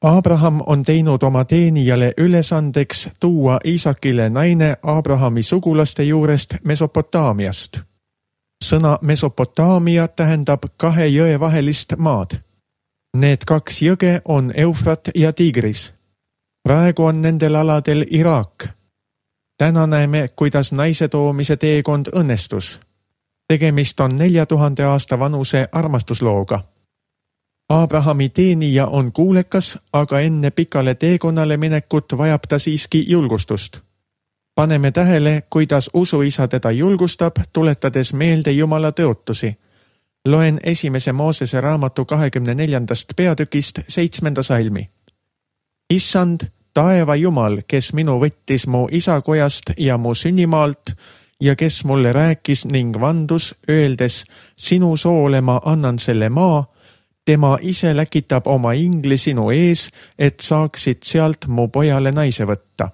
Abraham on teinud oma teenijale ülesandeks tuua Iisakile naine Abrahami sugulaste juurest Mesopotaamiast. Sõna Mesopotaamia tähendab 2 jõe vahelist maad. Need 2 jõge on Eufrat ja Tigris. Praegu on nendel aladel Iraak. Täna näeme, kuidas naise toomise teekond õnnestus. Tegemist on 4000 aasta vanuse armastuslooga. Abrahami teenija on kuulekas, aga enne pikale teekonnale minekut vajab ta siiski julgustust. Paneme tähele, kuidas usuisa teda julgustab, tuletades meelde Jumala tõotusi. Loen 1. Moosese raamatu 24. peatükist 7. salmi. Issand, taeva Jumal, kes minu võttis mu isakojast ja mu sünnimaalt ja kes mulle rääkis ning vandus, öeldes, sinu soole ma annan selle maa, tema ise läkitab oma ingli sinu ees, et saaksid sealt mu pojale naise võtta.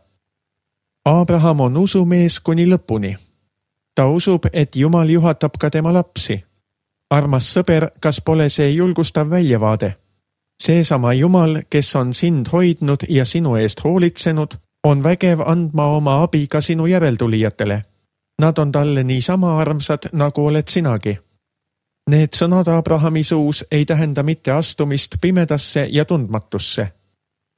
Abraham on usumees kuni lõpuni. Ta usub, et Jumal juhatab ka tema lapsi. Armas sõber, kas pole see julgustav väljavaade? Seesama Jumal, kes on sind hoidnud ja sinu eest hoolitsenud, on vägev andma oma abi ka sinu järeltulijatele. Nad on talle niisama armsad, nagu oled sinagi. Need sõnad Abrahami suus ei tähenda mitte astumist pimedasse ja tundmatusse.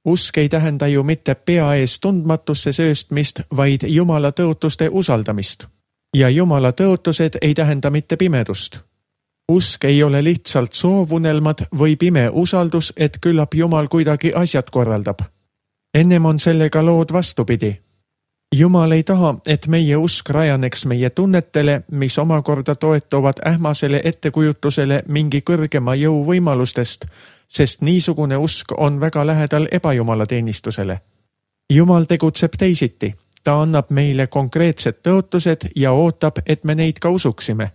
Usk ei tähenda ju mitte pea ees tundmatusse sööstmist, vaid Jumala tõotuste usaldamist. Ja Jumala tõotused ei tähenda mitte pimedust. Usk ei ole lihtsalt soovunelmad või pime usaldus, et küllap Jumal kuidagi asjad korraldab. Ennem on sellega lood vastupidi. Jumal ei taha, et meie usk rajaneks meie tunnetele, mis omakorda toetuvad ähmasele ettekujutusele mingi kõrgema jõu võimalustest, sest niisugune usk on väga lähedal ebajumala teenistusele. Jumal tegutseb teisiti. Ta annab meile konkreetsed tõotused ja ootab, et me neid ka usuksime.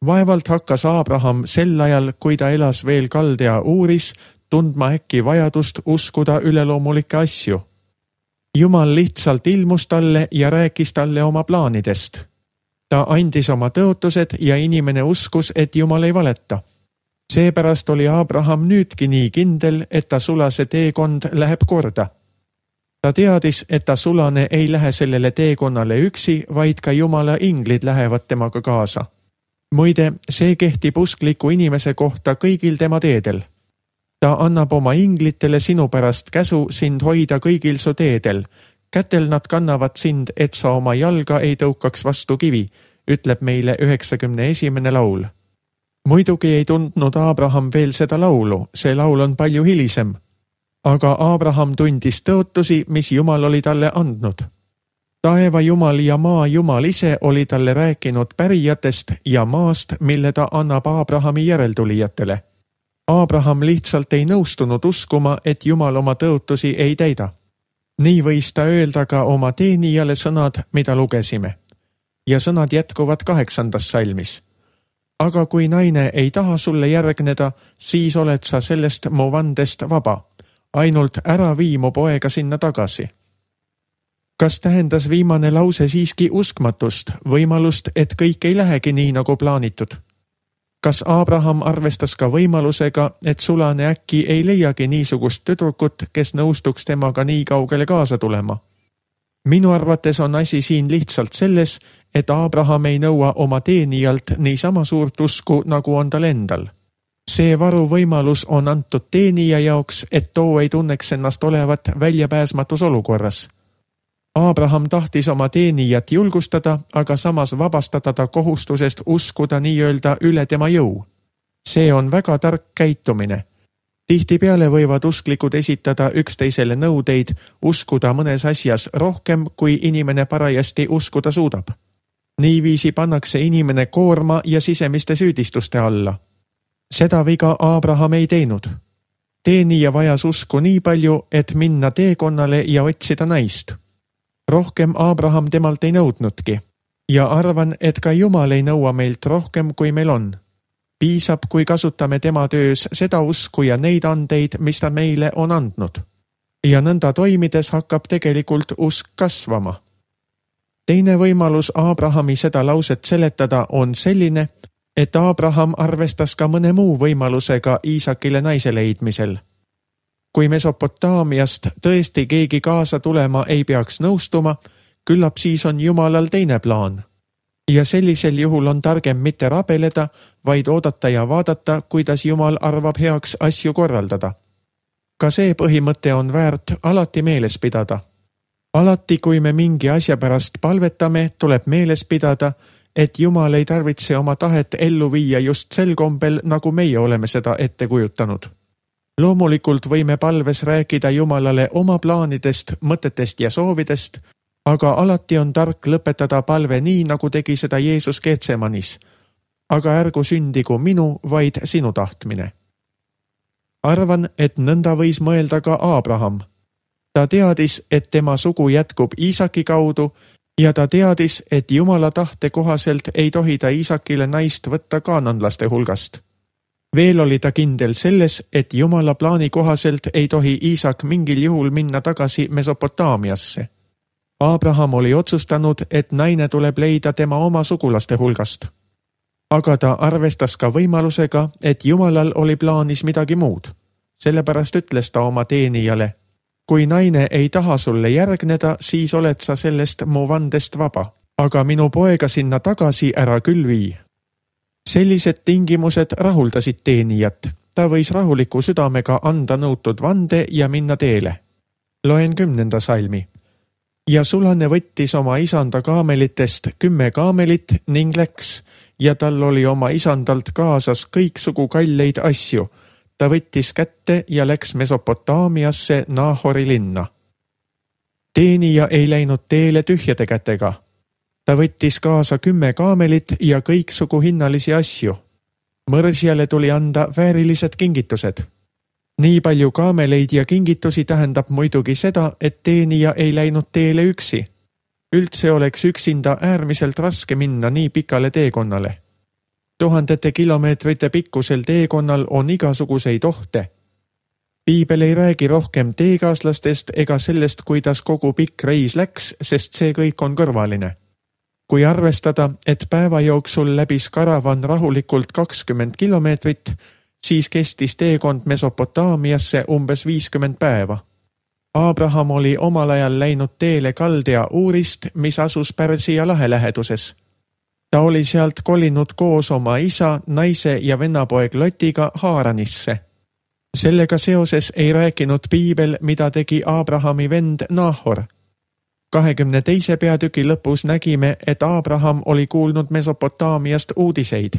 Vaevalt hakkas Abraham sel ajal, kui ta elas veel Kaldea Uuris, tundma äkki vajadust uskuda üleloomulikke asju. Jumal lihtsalt ilmus talle ja rääkis talle oma plaanidest. Ta andis oma tõotused ja inimene uskus, et Jumal ei valeta. Seepärast oli Abraham nüüdki nii kindel, et ta sulase teekond läheb korda. Ta teadis, et ta sulane ei lähe sellele teekonnale üksi, vaid ka Jumala inglid lähevad temaga kaasa. Muide, see kehtib uskliku inimese kohta kõigil tema teedel. Ta annab oma inglitele sinu pärast käsu sind hoida kõigil su teedel. Kätel nad kannavad sind, et sa oma jalga ei tõukaks vastu kivi, ütleb meile 91. laul. Muidugi ei tundnud Abraham veel seda laulu, see laul on palju hilisem. Aga Abraham tundis tõotusi, mis Jumal oli talle andnud. Taeva Jumal ja maa Jumal ise oli talle rääkinud pärijatest ja maast, mille ta annab Abrahami järeltulijatele. Abraham lihtsalt ei nõustunud uskuma, et Jumal oma tõotusi ei täida. Nii võis ta öelda ka oma teenijale sõnad, mida lugesime. Ja sõnad jätkuvad 8. salmis. Aga kui naine ei taha sulle järgneda, siis oled sa sellest mu vandest vaba. Ainult ära vii mu poega sinna tagasi. Kas tähendas viimane lause siiski uskmatust, võimalust, et kõik ei lähegi nii, nagu plaanitud? Kas Abraham arvestas ka võimalusega, et sulane äkki ei leiagi niisugust tüdrukut, kes nõustuks temaga nii kaugele kaasa tulema? Minu arvates on asi siin lihtsalt selles, et Abraham ei nõua oma teenijalt niisama suurt usku, nagu on tal endal. See varuvõimalus on antud teenija jaoks, et too ei tunneks ennast olevat väljapääsmatus olukorras. Abraham tahtis oma teenijat julgustada, aga samas vabastada ta kohustusest uskuda nii-öelda üle tema jõu. See on väga tark käitumine. Tihtipeale võivad usklikud esitada üksteisele nõudeid uskuda mõnes asjas rohkem, kui inimene parajasti uskuda suudab. Niiviisi pannakse inimene koorma ja sisemiste süüdistuste alla. Seda viga Abraham ei teinud. Teenija vajas usku nii palju, et minna teekonnale ja otsida naist. Rohkem Abraham temalt ei nõudnudki ja arvan, et ka Jumal ei nõua meilt rohkem, kui meil on. Piisab, kui kasutame tema töös seda usku ja neid andeid, mis ta meile on andnud. Ja nõnda toimides hakkab tegelikult usk kasvama. Teine võimalus Abrahami seda lauset seletada on selline, et Abraham arvestas ka mõne muu võimalusega Iisakile naise leidmisel. Kui Mesopotaamiast tõesti keegi kaasa tulema ei peaks nõustuma, küllap siis on Jumalal teine plaan. Ja sellisel juhul on targem mitte rabeleda, vaid oodata ja vaadata, kuidas Jumal arvab heaks asju korraldada. Ka see põhimõte on väärt alati meeles pidada. Alati, kui me mingi asja pärast palvetame, tuleb meeles pidada, et Jumal ei tarvitse oma tahet ellu viia just sel kombel, nagu meie oleme seda ette kujutanud. Loomulikult võime palves rääkida Jumalale oma plaanidest, mõtetest ja soovidest, aga alati on tark lõpetada palve nii, nagu tegi seda Jeesus Getsemanis. Aga ärgu sündigu minu, vaid sinu tahtmine. Arvan, et nõnda võis mõelda ka Aabraham. Ta teadis, et tema sugu jätkub Iisaki kaudu ja ta teadis, et Jumala tahte kohaselt ei tohi ta Iisakile naist võtta kaananlaste hulgast. Veel oli ta kindel selles, et Jumala plaani kohaselt ei tohi Iisak mingil juhul minna tagasi Mesopotaamiasse. Aabraham oli otsustanud, et naine tuleb leida tema oma sugulaste hulgast. Aga ta arvestas ka võimalusega, et Jumalal oli plaanis midagi muud. Sellepärast ütles ta oma teenijale: kui naine ei taha sulle järgneda, siis oled sa sellest mu vandest vaba, aga minu poega sinna tagasi ära küll vii. Sellised tingimused rahuldasid teenijat. Ta võis rahuliku südamega anda nõutud vande ja minna teele. Loen 10. salmi. Ja sulane võttis oma isanda kaamelitest 10 kaamelit ning läks, ja tal oli oma isandalt kaasas kõiksugu kalleid asju. Ta võttis kätte ja läks Mesopotaamiasse Nahori linna. Teenija ei läinud teele tühjade kätega. Ta võttis kaasa 10 kaamelit ja kõiksugu hinnalisi asju. Mõrsjale tuli anda väärilised kingitused. Nii palju kaameleid ja kingitusi tähendab muidugi seda, et teenija ei läinud teele üksi. Üldse oleks üksinda äärmiselt raske minna nii pikale teekonnale. Tuhandete kilomeetrite pikkusel teekonnal on igasuguseid ohte. Piibel ei räägi rohkem teekaaslastest ega sellest, kuidas kogu pikk reis läks, sest see kõik on kõrvaline. Kui arvestada, et päeva jooksul läbis karavan rahulikult 20 kilomeetrit, siis kestis teekond Mesopotaamiasse umbes 50 päeva. Aabraham oli omal ajal läinud teele Kaldea Uurist, mis asus Pärsia lahe läheduses. Ta oli sealt kolinud koos oma isa, naise ja vennapoeg Lotiga Haaranisse. Sellega seoses ei rääkinud Piibel, mida tegi Aabrahami vend Nahor. 22. peatüki lõpus nägime, et Aabraham oli kuulnud Mesopotaamiast uudiseid.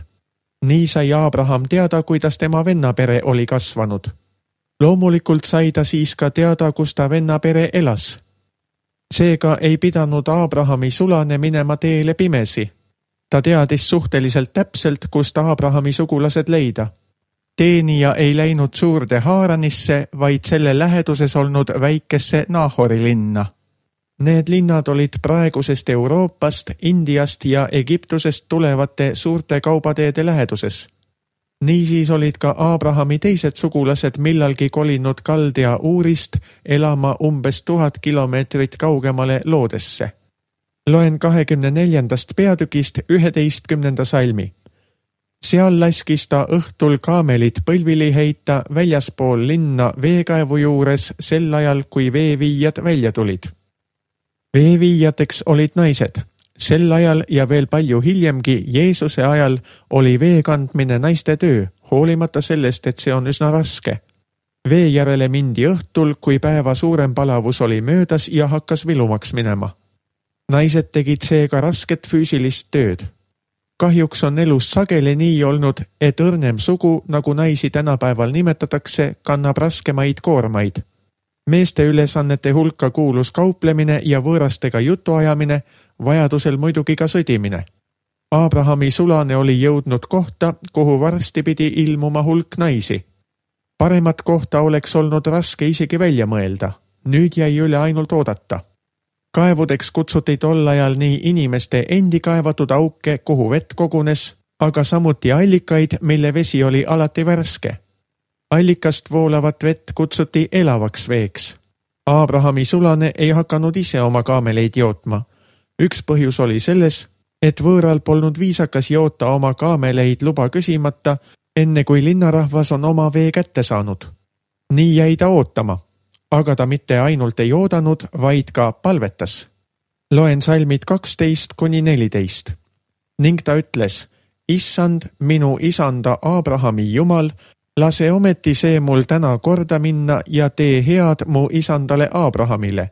Nii sai Aabraham teada, kuidas tema vennapere oli kasvanud. Loomulikult sai ta siis ka teada, kus ta vennapere elas. Seega ei pidanud Aabrahami sulane minema teele pimesi. Ta teadis suhteliselt täpselt, kust Aabrahami sugulased leida. Teenija ei läinud suurde Haaranisse, vaid selle läheduses olnud väikesse Nahori linna. Need linnad olid praegusest Euroopast, Indiast ja Egiptusest tulevate suurte kaubateede läheduses. Niisiis olid ka Aabrahami teised sugulased millalgi kolinud Kaldea Uurist elama umbes 1000 kilomeetrit kaugemale Loodesse. Loen 24. peatükist 11. salmi. Seal laskis ta õhtul kaamelid põlvili heita väljaspool linna veekaevu juures sel ajal, kui veeviijad välja tulid. Veeviijateks olid naised. Sel ajal ja veel palju hiljemgi Jeesuse ajal oli vee kandmine naiste töö, hoolimata sellest, et see on üsna raske. Vee järele mindi õhtul, kui päeva suurem palavus oli möödas ja hakkas vilumaks minema. Naised tegid seega rasket füüsilist tööd. Kahjuks on elus sageli nii olnud, et õrnem sugu, nagu naisi tänapäeval nimetatakse, kannab raskemaid koormaid. Meeste ülesannete hulka kuulus kauplemine ja võõrastega jutuajamine, vajadusel muidugi ka sõdimine. Aabrahami sulane oli jõudnud kohta, kuhu varsti pidi ilmuma hulk naisi. Paremat kohta oleks olnud raske isegi välja mõelda. Nüüd jäi üle ainult oodata. Kaevudeks kutsuti tol ajal nii inimeste endi kaevatud auke, kuhu vett kogunes, aga samuti allikaid, mille vesi oli alati värske. Allikast voolavat vett kutsuti elavaks veeks. Aabrahami sulane ei hakanud ise oma kaameleid jootma. Üks põhjus oli selles, et võõral polnud viisakas joota oma kaameleid luba küsimata, enne kui linnarahvas on oma vee kätte saanud. Nii jäi ta ootama, aga ta mitte ainult ei oodanud, vaid ka palvetas. Loen salmid 12–14. Ning ta ütles, Issand, minu isanda Abrahami Jumal, lase ometi see mul täna korda minna ja tee head mu isandale Abrahamile.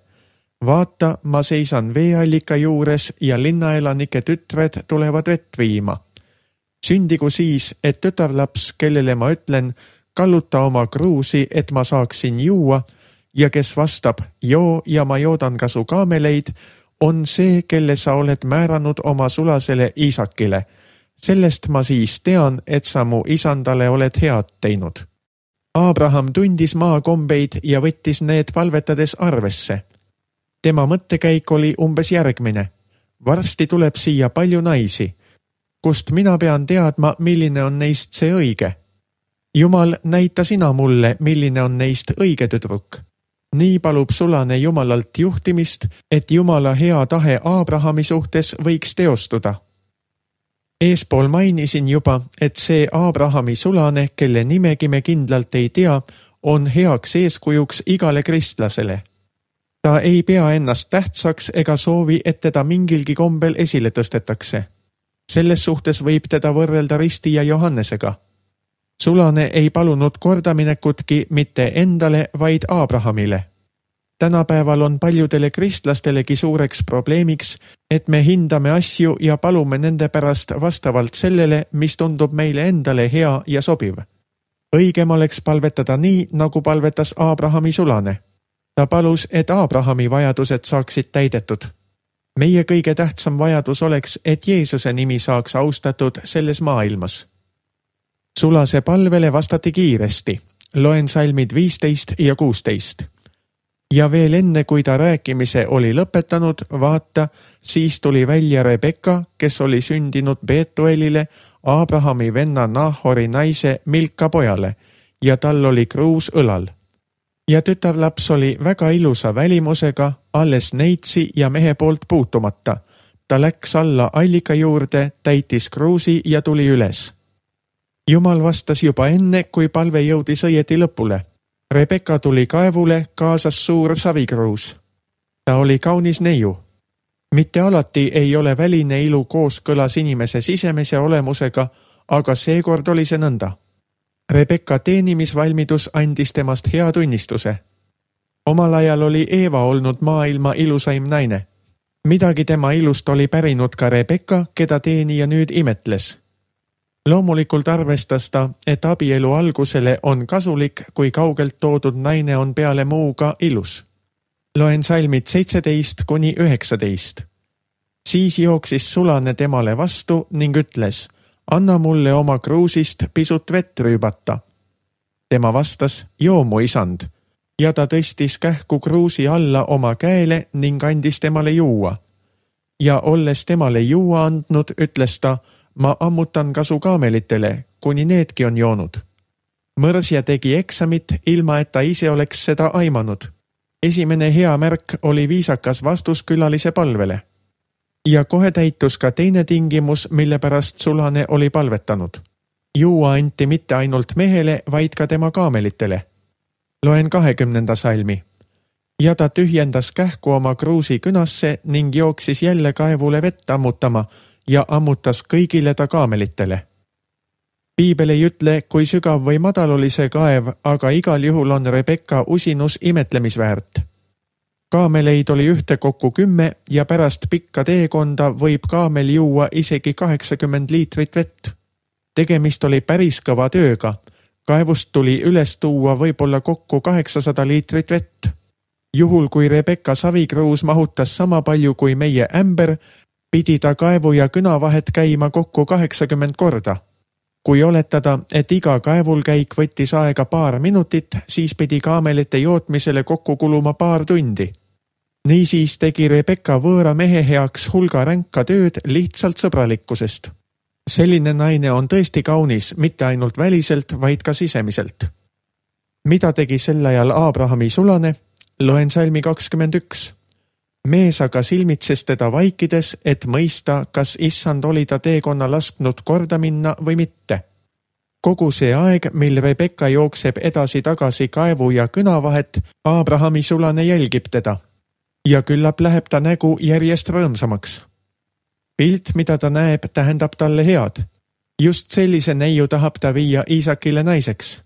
Vaata, ma seisan veeallika juures ja linnaelanike tütred tulevad vett viima. Sündigu siis, et tütarlaps, kellele ma ütlen, kalluta oma kruusi, et ma saaksin juua, ja kes vastab, joo ja ma joodan ka su kaameleid, on see, kelle sa oled määranud oma sulasele Iisakile. Sellest ma siis tean, et sa mu isandale oled head teinud. Abraham tundis maakombeid ja võttis need palvetades arvesse. Tema mõttekäik oli umbes järgmine. Varsti tuleb siia palju naisi. Kust mina pean teadma, milline on neist see õige? Jumal, näita sina mulle, milline on neist õige tüdruk. Nii palub sulane Jumalalt juhtimist, et Jumala hea tahe Abrahami suhtes võiks teostuda. Eespool mainisin juba, et see Abrahami sulane, kelle nimegi me kindlalt ei tea, on heaks eeskujuks igale kristlasele. Ta ei pea ennast tähtsaks ega soovi, et teda mingilgi kombel esile tõstetakse. Selles suhtes võib teda võrrelda Ristija Johannesega. Sulane ei palunud kordaminekutki mitte endale, vaid Abrahamile. Tänapäeval on paljudele kristlastelegi suureks probleemiks, et me hindame asju ja palume nende pärast vastavalt sellele, mis tundub meile endale hea ja sobiv. Õigem oleks palvetada nii, nagu palvetas Abrahami sulane. Ta palus, et Abrahami vajadused saaksid täidetud. Meie kõige tähtsam vajadus oleks, et Jeesuse nimi saaks austatud selles maailmas. Sulase palvele vastati kiiresti. Loen salmid 15 ja 16. Ja veel enne, kui ta rääkimise oli lõpetanud, vaata, siis tuli välja Rebekka, kes oli sündinud Betuelile, Abrahami venna Nahori naise Milka pojale, ja tal oli kruus õlal. Ja tütarlaps oli väga ilusa välimusega, alles neitsi ja mehe poolt puutumata. Ta läks alla allika juurde, täitis kruusi ja tuli üles. Jumal vastas juba enne, kui palve jõudis õieti lõpule. Rebekka tuli kaevule, kaasas suur savikruus. Ta oli kaunis neiu. Mitte alati ei ole väline ilu kooskõlas inimese sisemise olemusega, aga seekord oli see nõnda. Rebekka teenimisvalmidus andis temast hea tunnistuse. Omal ajal oli Eeva olnud maailma ilusaim naine. Midagi tema ilust oli pärinud ka Rebekka, keda teenija nüüd imetles. Loomulikult arvestas ta, et abielu algusele on kasulik, kui kaugelt toodud naine on peale muuga ilus. Loen salmid 17–19. Siis jooksis sulane temale vastu ning ütles, anna mulle oma kruusist pisut vett rüübata. Tema vastas, joo mu isand, ja ta tõstis kähku kruusi alla oma käele ning andis temale juua. Ja olles temale juua andnud, ütles ta, ma ammutan ka su kaamelitele, kuni needki on joonud. Mõrsja tegi eksamit, ilma et ta ise oleks seda aimanud. Esimene hea märk oli viisakas vastus külalise palvele. Ja kohe täitus ka teine tingimus, mille pärast sulane oli palvetanud. Juua anti mitte ainult mehele, vaid ka tema kaamelitele. Loen 20. salmi. Ja ta tühjendas kähku oma kruusi künasse ning jooksis jälle kaevule vett ammutama ja ammutas kõigile ta kaamelitele. Piibel ei ütle, kui sügav või madal oli see kaev, aga igal juhul on Rebekka usinus imetlemisväärt. Kaameleid oli ühtekokku 10 ja pärast pikka teekonda võib kaamel juua isegi 80 liitrit vett. Tegemist oli päris kõva tööga. Kaevust tuli üles tuua võib-olla kokku 800 liitrit vett. Juhul, kui Rebekka savikruus mahutas sama palju kui meie ämber, pidi ta kaevu ja küna vahet käima kokku 80 korda. Kui oletada, et iga kaevulkäik võttis aega paar minutit, siis pidi kaamelite jootmisele kokku kuluma paar tundi. Niisiis tegi Rebekka võõra mehe heaks hulga ränka tööd lihtsalt sõbralikkusest. Selline naine on tõesti kaunis, mitte ainult väliselt, vaid ka sisemiselt. Mida tegi sel ajal Abrahami sulane? Loen salmi 21. Mees aga silmitses teda vaikides, et mõista, kas issand oli ta teekonna lasknud korda minna või mitte. Kogu see aeg, mil Rebecca jookseb edasi-tagasi kaevu ja küna vahet, Abrahami sulane jälgib teda. Ja küllap läheb ta nägu järjest rõõmsamaks. Pilt, mida ta näeb, tähendab talle head. Just sellise neiu tahab ta viia Iisakile naiseks.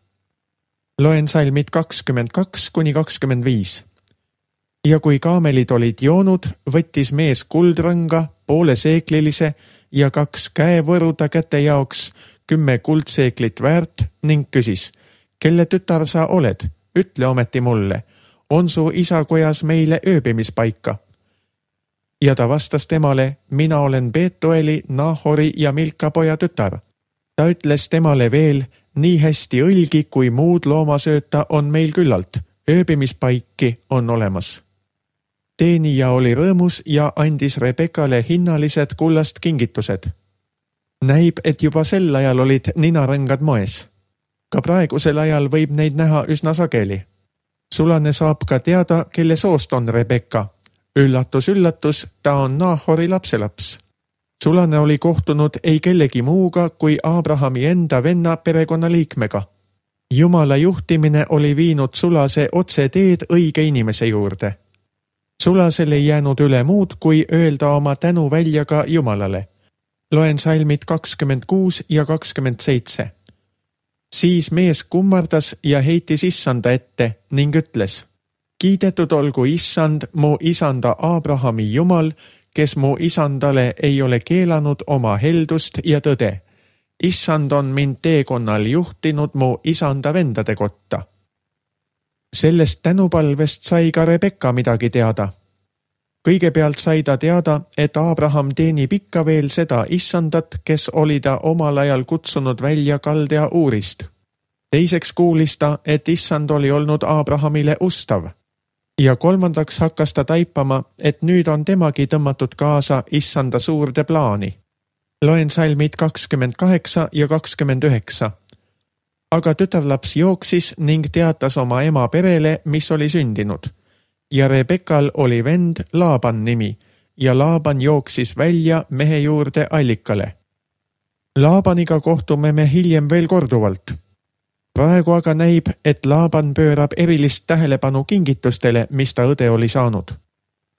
Loen salmid 22–25. Ja kui kaamelid olid joonud, võttis mees kuldrõnga, poole seeklilise ja 2 käevõru ta käte jaoks, 10 kuldseeklit väärt ning küsis, kelle tütar sa oled, ütle ometi mulle, on su isa kojas meile ööbimispaika? Ja ta vastas temale, mina olen Betueli, Nahori ja Milka poja tütar. Ta ütles temale veel, nii hästi õlgi kui muud loomasööta on meil küllalt, ööbimispaiki on olemas. Teenija oli rõõmus ja andis Rebeccale hinnalised kullast kingitused. Näib, et juba sel ajal olid ninarõngad moes. Ka praegusel ajal võib neid näha üsna sageli. Sulane saab ka teada, kelle soost on Rebecca. Üllatus, üllatus, ta on Nahori lapselaps. Sulane oli kohtunud ei kellegi muuga kui Abrahami enda venna perekonnaliikmega. Jumala juhtimine oli viinud sulase otse teed õige inimese juurde. Sulasel ei jäänud üle muud, kui öelda oma tänu välja ka Jumalale. Loen salmid 26 ja 27. Siis mees kummardas ja heitis issanda ette ning ütles, kiidetud olgu issand, mu isanda Abrahami Jumal, kes mu isandale ei ole keelanud oma heldust ja tõde. Issand on mind teekonnal juhtinud mu isanda vendade kotta. Sellest tänupalvest sai ka Rebecca midagi teada. Kõigepealt sai ta teada, et Abraham teenib ikka veel seda issandat, kes oli ta omal ajal kutsunud välja Kaldea Uurist. Teiseks kuulis ta, et issand oli olnud Abrahamile ustav. Ja kolmandaks hakkas ta taipama, et nüüd on temagi tõmmatud kaasa issanda suurde plaani. Loen salmid 28 ja 29. Aga tütarlaps jooksis ning teatas oma ema perele, mis oli sündinud. Ja Rebekal oli vend Laaban nimi ja Laaban jooksis välja mehe juurde allikale. Laabaniga kohtume me hiljem veel korduvalt. Praegu aga näib, et Laaban pöörab erilist tähelepanu kingitustele, mis ta õde oli saanud.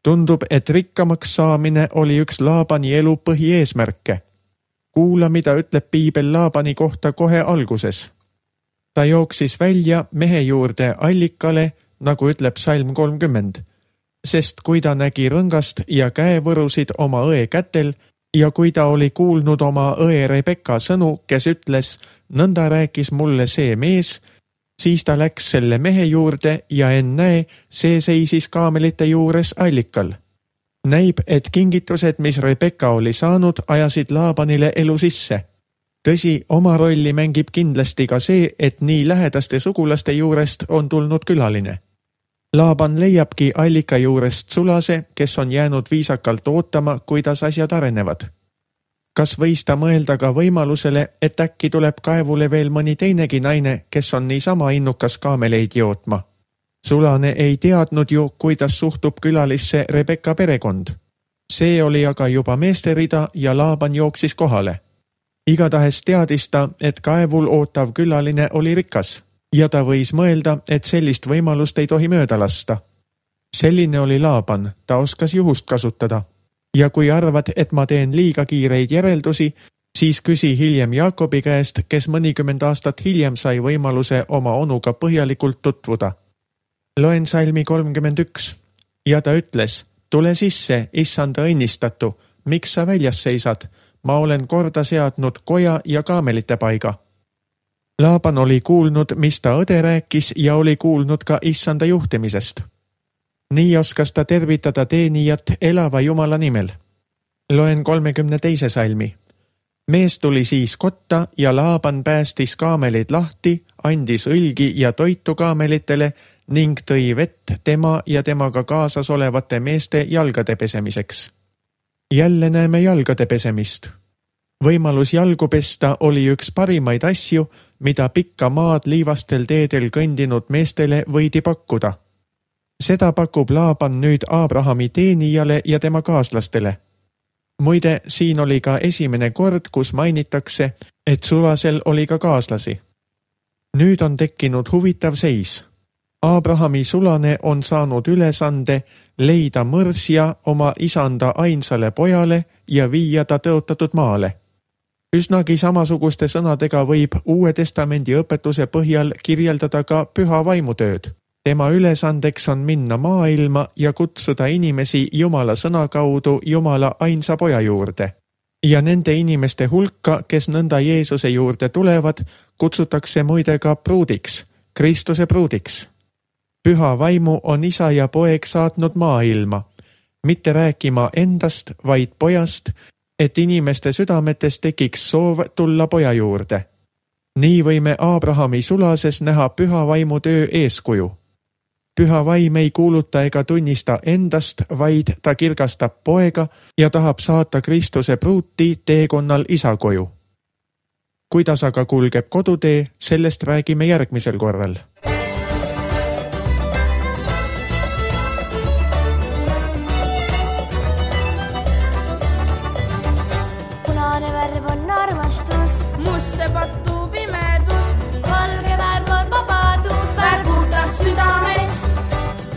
Tundub, et rikkamaks saamine oli üks Laabani elu põhieesmärke. Kuula, mida ütleb piibel Laabani kohta kohe alguses. Ta jooksis välja mehe juurde allikale, nagu ütleb salm 30, sest kui ta nägi rõngast ja käevõrusid oma õe kätel ja kui ta oli kuulnud oma õe Rebecca sõnu, kes ütles, nõnda rääkis mulle see mees, siis ta läks selle mehe juurde ja ennäe, see seisis kaamelite juures allikal. Näib, et kingitused, mis Rebecca oli saanud, ajasid Laabanile elu sisse. Tõsi, oma rolli mängib kindlasti ka see, et nii lähedaste sugulaste juurest on tulnud külaline. Laaban leiabki allika juurest sulase, kes on jäänud viisakalt ootama, kuidas asjad arenevad. Kas võis ta mõelda ka võimalusele, et äkki tuleb kaevule veel mõni teinegi naine, kes on niisama innukas kaameleid jootma? Sulane ei teadnud ju, kuidas suhtub külalisse Rebecca perekond. See oli aga juba meesterida ja Laaban jooksis kohale. Igatahes teadis ta, et kaevul ootav külaline oli rikas ja ta võis mõelda, et sellist võimalust ei tohi mööda lasta. Selline oli Laaban, ta oskas juhust kasutada. Ja kui arvad, et ma teen liiga kiireid järeldusi, siis küsi hiljem Jaakobi käest, kes mõnikümmend aastat hiljem sai võimaluse oma onuga põhjalikult tutvuda. Loen salmi 31 ja ta ütles, tule sisse, issanda õnnistatu, miks sa väljas seisad? Ma olen korda seadnud koja ja kaamelite paiga. Laaban oli kuulnud, mis ta õde rääkis ja oli kuulnud ka issanda juhtimisest. Nii oskas ta tervitada teenijat elava Jumala nimel. Loen 32. salmi. Mees tuli siis kotta ja Laaban päästis kaamelid lahti, andis õlgi ja toitu kaamelitele ning tõi vett tema ja temaga kaasas olevate meeste jalgade pesemiseks. Jälle näeme jalgade pesemist. Võimalus jalgu pesta oli üks parimaid asju, mida pikka maad liivastel teedel kõndinud meestele võidi pakkuda. Seda pakub Laaban nüüd Abrahami teenijale ja tema kaaslastele. Muide, siin oli ka esimene kord, kus mainitakse, et sulasel oli ka kaaslasi. Nüüd on tekkinud huvitav seis. Abrahami sulane on saanud ülesande leida mõrsja oma isanda ainsale pojale ja viia ta tõotatud maale. Üsnagi samasuguste sõnadega võib Uue Testamendi õpetuse põhjal kirjeldada ka püha vaimutööd. Tema ülesandeks on minna maailma ja kutsuda inimesi Jumala sõna kaudu Jumala ainsa poja juurde. Ja nende inimeste hulka, kes nõnda Jeesuse juurde tulevad, kutsutakse muide ka pruudiks, Kristuse pruudiks. Püha vaimu on isa ja poeg saatnud maailma, mitte rääkima endast, vaid pojast, et inimeste südametes tekiks soov tulla poja juurde. Nii võime Abrahami sulases näha püha vaimu töö eeskuju. Püha vaim ei kuuluta ega tunnista endast, vaid ta kirgastab poega ja tahab saata Kristuse pruuti teekonnal isa koju. Kuidas aga kulgeb kodutee, sellest räägime järgmisel korral. Punane värv on armastus, musse pattu pimedus, valge värv on vabadus, värv puhtas südamest.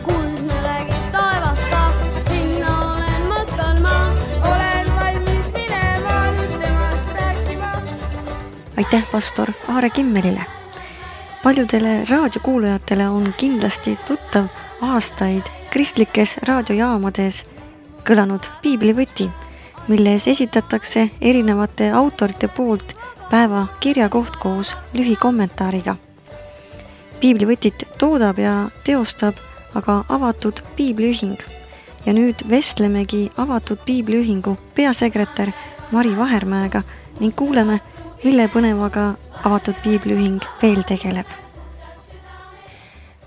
kuldne räägib taevast ka, sinna olen mõttel ma. Olen valmis minema nüüd temast rääkima. Aitäh pastor Aare Kimmelile. Paljudele raadiokuulajatele on kindlasti tuttav aastaid kristlikes raadiojaamades kõlanud piiblivõti, milles esitatakse erinevate autorite poolt päeva kirjakoht koos lühikommentaariga. Piiblivõtit toodab ja teostab aga avatud piibliühing. Ja nüüd vestlemegi avatud piibliühingu peasekretär Mari Vahermäega ning kuuleme, mille põnevaga avatud piibliühing veel tegeleb.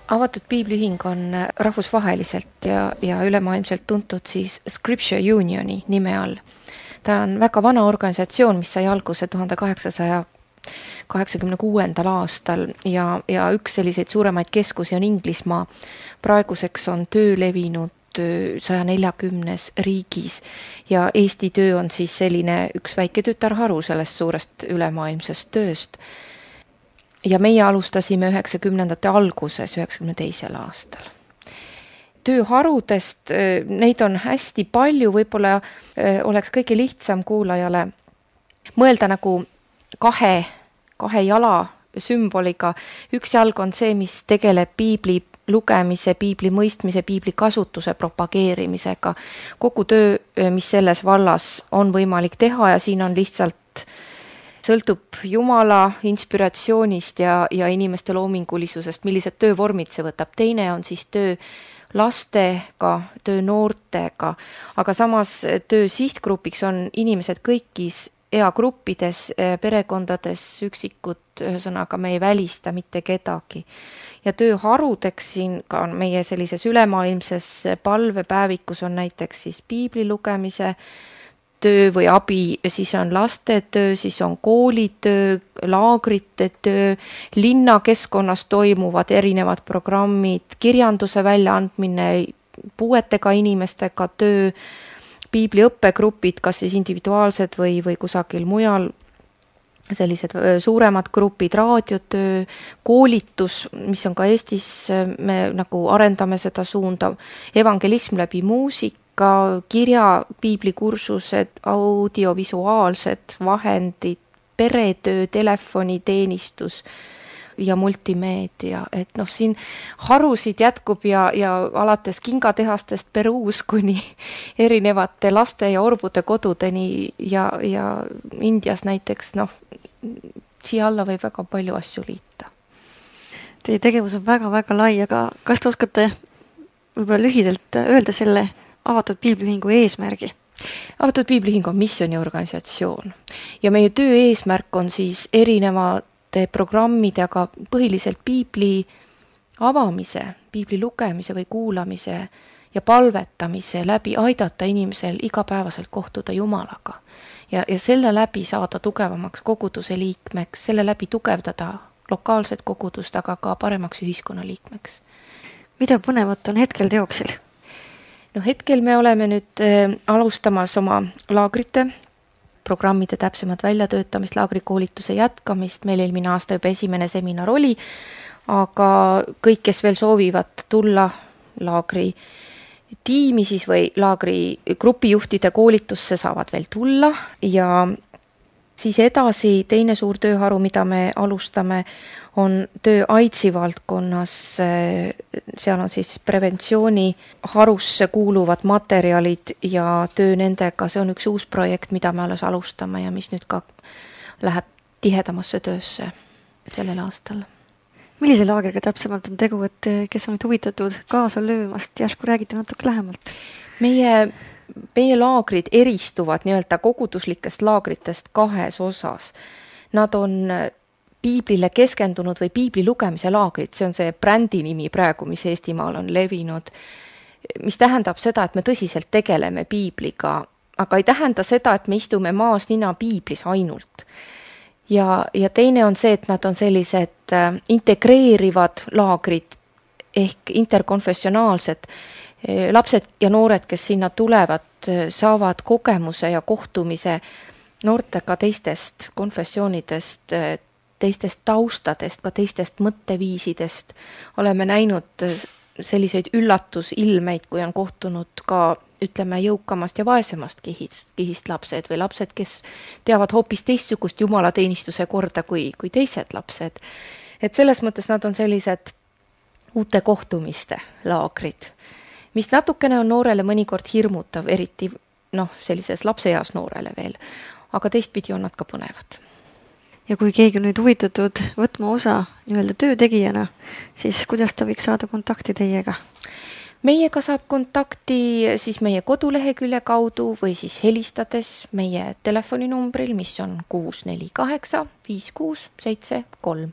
Avatud piibliühing on rahvusvaheliselt ja ülemaailmselt tuntud siis Scripture Unioni nime all. Ta on väga vana organisatsioon, mis sai alguse 1886. aastal ja üks selliseid suuremaid keskusi on Inglismaa. Praeguseks on töö levinud 140 riigis ja Eesti töö on siis selline üks väike tütarharu sellest suurest ülemaailmsest tööst. Ja meie alustasime 90ndate alguses, 92. aastal. Tööharudest, neid on hästi palju, võib-olla oleks kõige lihtsam kuulajale mõelda nagu kahe jala sümboliga. Üks jalg on see, mis tegeleb piibli lugemise, piibli mõistmise, piibli kasutuse propageerimisega. Kogu töö, mis selles vallas on võimalik teha ja siin on lihtsalt sõltub Jumala inspiratsioonist ja inimeste loomingulisusest, millised töövormid see võtab. Teine on siis töö lastega, töö noortega, aga samas töö sihtgrupiks on inimesed kõikis eagruppides, perekondades, üksikud, ühesõnaga me ei välista mitte kedagi. Ja tööharudeks siin ka meie sellises ülemaailmses palvepäevikus on näiteks siis piibli lugemise töö või abi, siis on lastetöö, siis on koolitöö, laagrite töö, linnakeskkonnas toimuvad erinevad programmid, kirjanduse väljaandmine, puuetega inimestega töö, piibli õppegrupid, kas siis individuaalsed või kusagil mujal, sellised suuremad grupid, raadiotöö, koolitus, mis on ka Eestis, me nagu arendame seda suunda, evangelism läbi muusika, kirja, piiblikursused, audiovisuaalsed vahendid, peretöö, telefoniteenistus ja multimeedia. Et siin harusid jätkub ja alates kingatehastest Peruus kuni erinevate laste ja orbude kodudeni ja Indias näiteks, siia alla võib väga palju asju liita. Teie tegevus on väga-väga lai, aga kas te oskate võib-olla lühidalt öelda selle avatud piibliühingu eesmärgi? Avatud piibliühing on missiooniorganisatsioon ja meie töö eesmärk on siis erinevate programmide, aga põhiliselt piibli avamise, piibli lugemise või kuulamise ja palvetamise läbi aidata inimesel igapäevaselt kohtuda Jumalaga ja selle läbi saada tugevamaks koguduse liikmeks, selle läbi tugevdada lokaalset kogudust, aga ka paremaks ühiskonna liikmeks. Mida põnevat on hetkel teoksil? Hetkel me oleme nüüd alustamas oma laagrite programmide täpsemat väljatöötamist, laagrikoolituse jätkamist, meil eelmine aasta juba esimene seminar oli, aga kõik, kes veel soovivad tulla laagri tiimi siis või laagri grupijuhtide koolitusse, saavad veel tulla ja siis edasi teine suur tööharu, mida me alustame, on töö AIDSi valdkonnas. Seal on siis preventsiooni harusse kuuluvad materjalid ja töö nendega. See on üks uus projekt, mida me alles alustame ja mis nüüd ka läheb tihedamasse töösse sellel aastal. Millise laagriga täpsemalt on tegu, et kes on nüüd huvitatud kaasa löömast, järsku räägite natuke lähemalt? Meie laagrid eristuvad nii-öelda koguduslikest laagritest kahes osas. Nad on piiblile keskendunud või piibli lugemise laagrid, see on see brändi nimi praegu, mis Eestimaal on levinud, mis tähendab seda, et me tõsiselt tegeleme piibliga, aga ei tähenda seda, et me istume maas nina piiblis ainult. Ja teine on see, et nad on sellised integreerivad laagrid ehk interkonfessionaalsed. Lapsed ja noored, kes sinna tulevad, saavad kogemuse ja kohtumise noortega teistest konfessioonidest, teistest taustadest, ka teistest mõtteviisidest. Oleme näinud selliseid üllatusilmeid, kui on kohtunud ka, ütleme, jõukamast ja vaesemast kihist lapsed või lapsed, kes teavad hoopis teistsugust jumalateenistuse korda kui teised lapsed. Et selles mõttes nad on sellised uute kohtumiste laagrid, mis natukene on noorele mõnikord hirmutav, eriti sellises lapseeas noorele veel, aga teistpidi on nad ka põnevad. Ja kui keegi on nüüd huvitatud võtma osa nii-öelda töötegijana, siis kuidas ta võiks saada kontakti teiega? Meiega saab kontakti siis meie kodulehekülje kaudu või siis helistades meie telefoninumbril, mis on 648 5673.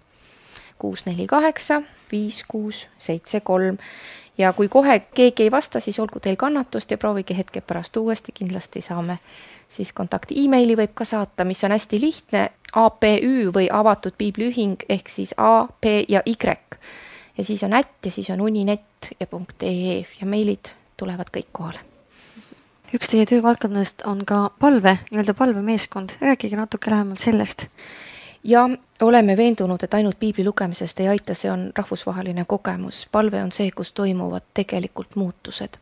648 5673. Ja kui kohe keegi ei vasta, siis olgu teil kannatust ja proovige hetke pärast uuesti, kindlasti saame siis kontakti. E-maili võib ka saata, mis on hästi lihtne, APÜ või avatud piibliühing ehk siis A, P ja Y. Ja siis on @ ja siis on uninet ja .ee ja meilid tulevad kõik kohale. Üks teie töövaldkonnast on ka palve, nii-öelda palvemeeskond. Rääkige natuke lähemalt sellest. Ja oleme veendunud, et ainult piibli lugemisest ei aita, see on rahvusvaheline kogemus. Palve on see, kus toimuvad tegelikult muutused.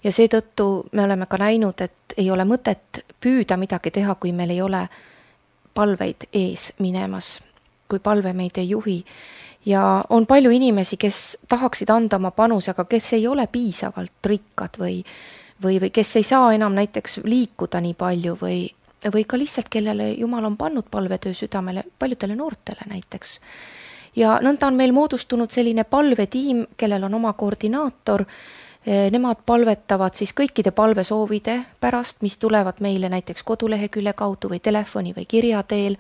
Ja seetõttu me oleme ka näinud, et ei ole mõtet püüda midagi teha, kui meil ei ole palveid ees minemas, kui palve meid ei juhi. Ja on palju inimesi, kes tahaksid anda oma panuse, aga kes ei ole piisavalt rikkad või kes ei saa enam näiteks liikuda nii palju või ka lihtsalt, kellele Jumal on pannud palvetöö südamele, paljudele noortele näiteks. Ja nõnda on meil moodustunud selline palvetiim, kellel on oma koordinaator. Nemad palvetavad siis kõikide palvesoovide pärast, mis tulevad meile näiteks kodulehekülje kaudu või telefoni või kirja teel.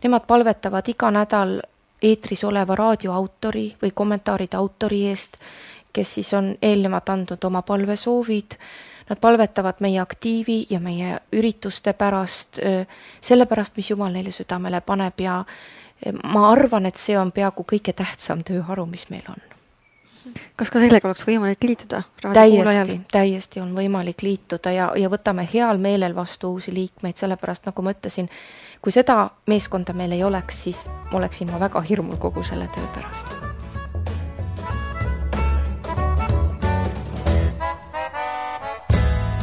Nemad palvetavad iga nädal eetris oleva raadioautori või kommentaaride autori eest, kes siis on eelnevalt andnud oma palvesoovid. Nad palvetavad meie aktiivi ja meie ürituste pärast, selle pärast, mis Jumal neile südamele paneb ja ma arvan, et see on peaaegu kõige tähtsam tööharu, mis meil on. Kas ka sellega oleks võimalik liituda? Täiesti on võimalik liituda ja võtame heal meelel vastu uusi liikmeid, sellepärast nagu ma ütlesin, kui seda meeskonda meil ei oleks, siis oleksin ma väga hirmul kogu selle töö pärast.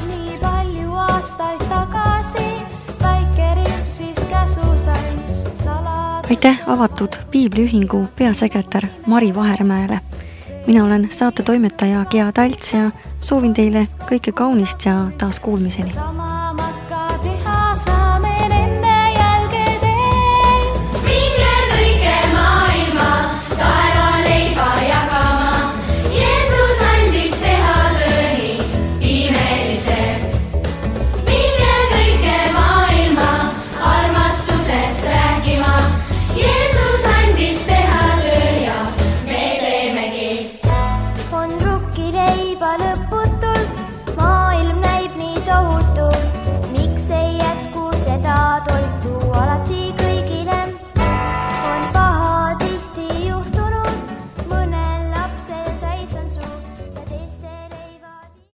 Nii palju aastaid tagasi väike ripp siis käsu sain salad. Aitäh avatud piibliühingu peasekretär Mari Vahermäele. Mina olen saate toimetaja Gea Talts ja soovin teile kõike kaunist ja taas kuulmiseni.